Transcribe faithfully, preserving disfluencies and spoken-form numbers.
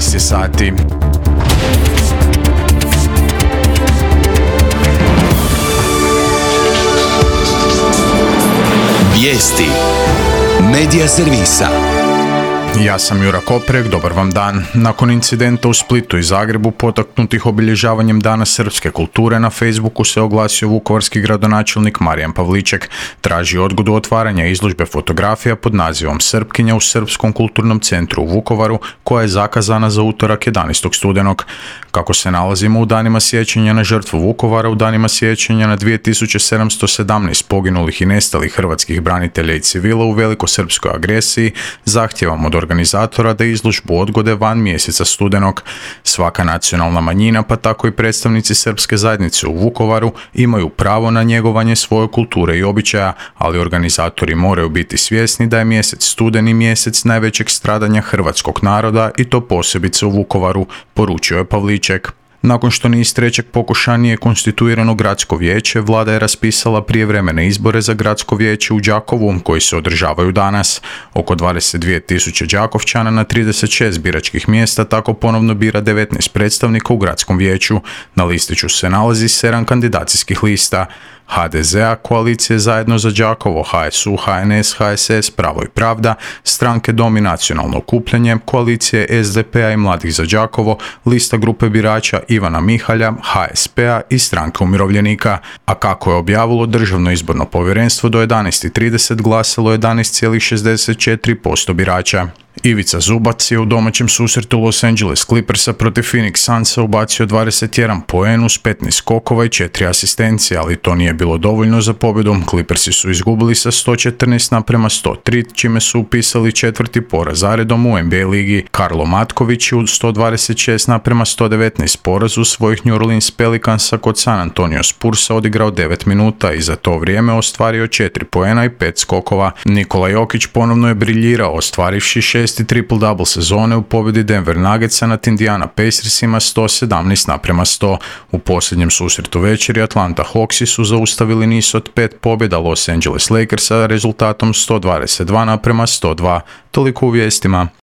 jedanaest je sati. Vijesti Medija servisa. Ja sam Jura Koprek, dobar vam dan. Nakon incidenta u Splitu i Zagrebu potaknutih obilježavanjem Dana srpske kulture, na Facebooku se oglasio vukovarski gradonačelnik Marijan Pavliček. Traži odgodu otvaranja izložbe fotografija pod nazivom Srpkinja u Srpskom kulturnom centru u Vukovaru, koja je zakazana za utorak jedanaestog studenog. Kako se nalazimo u danima sjećanja na žrtvu Vukovara, u danima sjećanja na dvije tisuće sedamsto sedamnaest poginulih i nestalih hrvatskih branitelja i civila u velikosrpskoj agresiji, zahtijevamo od organizatora da izložbu odgode van mjeseca studenog. Svaka nacionalna manjina, pa tako i predstavnici srpske zajednice u Vukovaru, imaju pravo na njegovanje svoje kulture i običaja, ali organizatori moraju biti svjesni da je mjesec studeni mjesec najvećeg stradanja hrvatskog naroda i to posebice u Vukovaru, poručio je Pavliček. Nakon što niz trećeg pokušaja nije konstituirano gradsko vijeće, vlada je raspisala prijevremene izbore za gradsko vijeće u Đakovu, koji se održavaju danas. Oko dvadeset dvije tisuće Đakovčana na trideset šest biračkih mjesta tako ponovno bira devetnaest predstavnika u gradskom vijeću. Na listiću se nalazi sedam kandidacijskih lista: ha de ze a, Koalicije Zajedno za Đakovo, ha es u, ha en es, ha es es, Pravo i Pravda, Stranke Dom i Nacionalno okupljanje, Koalicije es de pe a i Mladih za Đakovo, lista grupe birača Ivana Mihalja, ha es pe a i Stranke umirovljenika. A kako je objavilo Državno izborno povjerenstvo, do jedanaest i trideset glasalo jedanaest zarez šezdeset četiri posto birača. Ivica Zubac je u domaćem susretu Los Angeles Clippersa protiv Phoenix Sunsa ubacio dvadeset jedan poen uz petnaest skokova i četiri asistencije, ali to nije bilo dovoljno za pobjedu. Clippersi su izgubili sa sto četrnaest naprema sto tri, čime su upisali četvrti poraz zaredom u en be a ligi. Karlo Matković je u sto dvadeset šest naprema sto devetnaest porazu svojih New Orleans Pelicansa kod San Antonio Spursa odigrao devet minuta i za to vrijeme ostvario četiri poena i pet skokova. Nikola Jokić ponovno je briljirao, ostvarivši šesti triple-double sezone u pobjedi Denver Nuggetsa nad Indiana Pacersima sto sedamnaest naprema sto. U posljednjem susretu večeri Atlanta Hawksi su zaustavili niz od pet pobjeda Los Angeles Lakersa rezultatom sto dvadeset dva naprema sto dva. Toliko u vijestima.